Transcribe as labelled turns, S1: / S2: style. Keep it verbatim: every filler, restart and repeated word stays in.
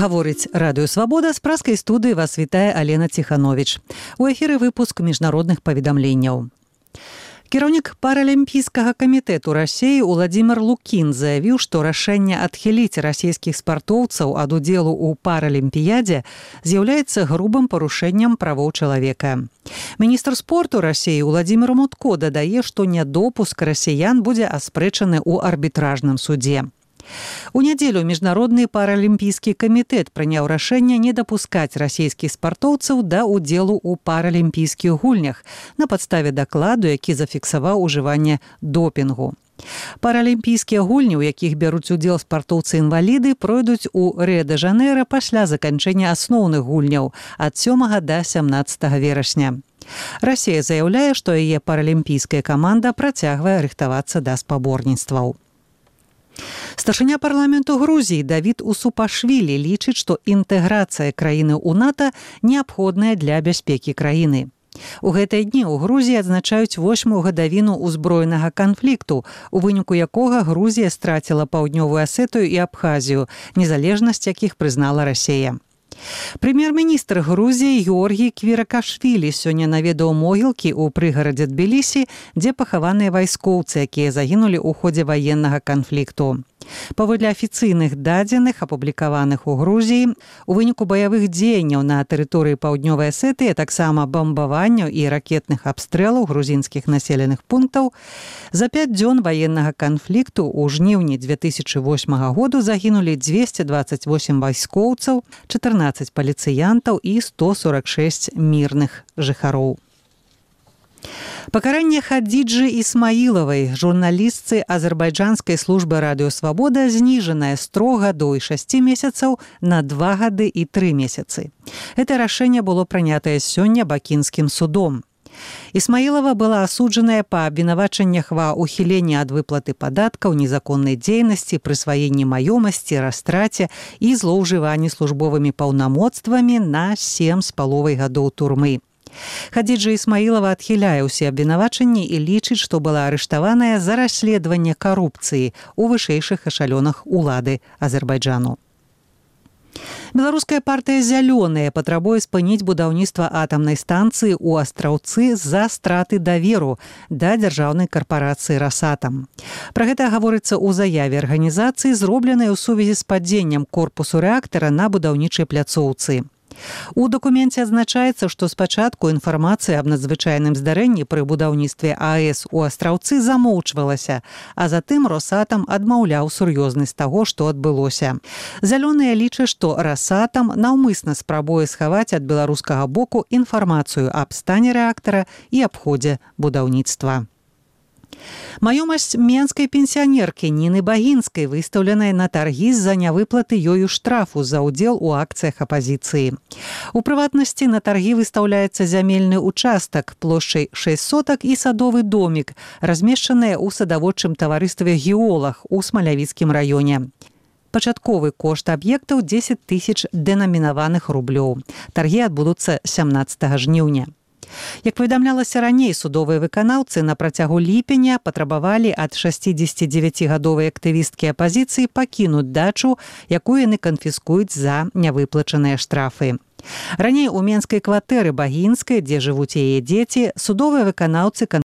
S1: Гаворыць радыё «Свабода», з праскай студыі вас вітае Алена Ціхановіч. У эфіры выпуск міжнародных паведамленняў. Кіраўнік паралімпійскага камітэту Расіі Уладзімір Лукін заявіў, што рашэнне адхіліць расійскіх спартоўцаў ад удзелу ў паралімпіядзе з'яўляецца грубым парушэннем правоў чалавека. Міністр спорту Расіі Уладзімір Мутко дадае, што нядопуск расіян будзе аспрэчаны ў арбітражным судзе. У нядзелю міжнародны паралімпійскі камітэт прыняў рашэнне не дапускаць расійскіх спартоўцаў да ўдзелу ў паралімпійскіх гульнях на падставе дакладу, які зафіксаваў ужыванне допінгу. Паралімпійскія гульні, у якіх бяруць удзел спартоўцы-інваліды, пройдуць у Рыа-дэ-Жанэйра пасля заканчэння асноўных гульняў ад сёмага да сямнаццатага верасня. Расія заяўляе, што яе паралімпійская каманда працягвае рыхтавацца да спаборніцтваў. Старшыня парламенту Грузіі Давід Усупашвілі лічыць, што інтэграцыя краіны ў НАТО неабходная для бяспекі краіны. У гэтыя дні ў Грузіі адзначаюць восьмую гадавіну ўзброенага канфлікту, у выніку якога Грузія страціла Паўднёвую Асетыю і Абхазію, незалежнасць якіх прызнала Расія. Прэм'ер-міністр Грузіі Георгій Квіракашвілі сёння наведаў могілкі ў прыгарадзе Тбілісі, дзе пахаваныя вайскоўцы, якія загінулі ў ходзе ваеннага канфлікту. Паводле афіцыйных дадзеных, апублікаваных у Грузіі, у выніку баявых дзеянняў на тэрыторыі Паўднёвай Асетыі, таксама бамбаванняў і ракетных абстрэлаў грузінскіх населеных пунктаў, за пяць дзён ваеннага канфлікту ў жніўні дзве тысячы восьмага году загінулі дзвесце дваццаць восем вайскоўцаў, чатырнаццаць паліцыянтаў і сто сорак шэсць мірных жыхароў. Пакаранне Хадзіджы Ісмаілавай, журналістцы азербайджанскай службы радыё «Свабода», зніжанае з трох гадоў і шасці месяцаў на два гады і тры месяцы. Гэта рашэнне было прынятае сёння бакінскім судом. Ісмаілава была асуджаная па абвінавачаннях ва ўхіленні ад выплаты падаткаў, незаконнай дзейнасці, прысваенні маёмасці, растраце і злоўжыванні службовымі паўнамоцтвамі на сем з паловай гадоў турмы. Хадзіджа Ісмаілава адхіляе ўсе абвінавачанні і лічыць, што была арыштаваная за расследаванне карупцыі ў вышэйшых эшалёнах улады Азербайджану. Беларуская партыя «Зялёныя» патрабуе спыніць будаўніцтва атамнай станцыі ў Астраўцы з-за страты даверу да дзяржаўнай карпарацыі «Расатам». Пра гэта гаворыцца ў заяве арганізацыі, зробленай у сувязі з падзеннем корпусу рэактара на будаўнічай пляцоўцы. У дакуменце адзначаецца, што спачатку інфармацыя аб надзвычайным здарэнні пры будаўніцтве АЭС у Астраўцы замоўчвалася, а затым «Росатам» адмаўляў сур'ёзнасць таго, што адбылося. «Зялёныя» лічаць, што «Росатам» наўмысна спрабуе схаваць ад беларускага боку інфармацыю аб стане рэактара і аб ходзе будаўніцтва. Маёмасць менскай пенсіянеркі Ніны Багінскай выстаўленая на таргі з-за нявыплаты ёю штрафу за ўдзел у акцыях апазіцыі. У прыватнасці на таргі выстаўляецца зямельны участак плошчай шэсць сотак і садовы домік, размешчаныя ў садаводчым таварыстве «Геолаг» у Смалявіцкім раёне. Пачатковы кошт аб'ектаў дзесяць тысяч дэнамінаваных рублёў. Таргі адбудуцца сямнаццатага жніўня. Як паведамлялася раней, судовыя выканаўцы на працягу ліпеня патрабавалі ад шэсцідзесяцідзевяцігадовай актывісткі апазіцыі пакінуць дачу, якую яны канфіскуюць за нявыплачаныя штрафы. Раней у менскай кватэры Багінскай, дзе жывуць яе дзеці, судовыя выканаўцы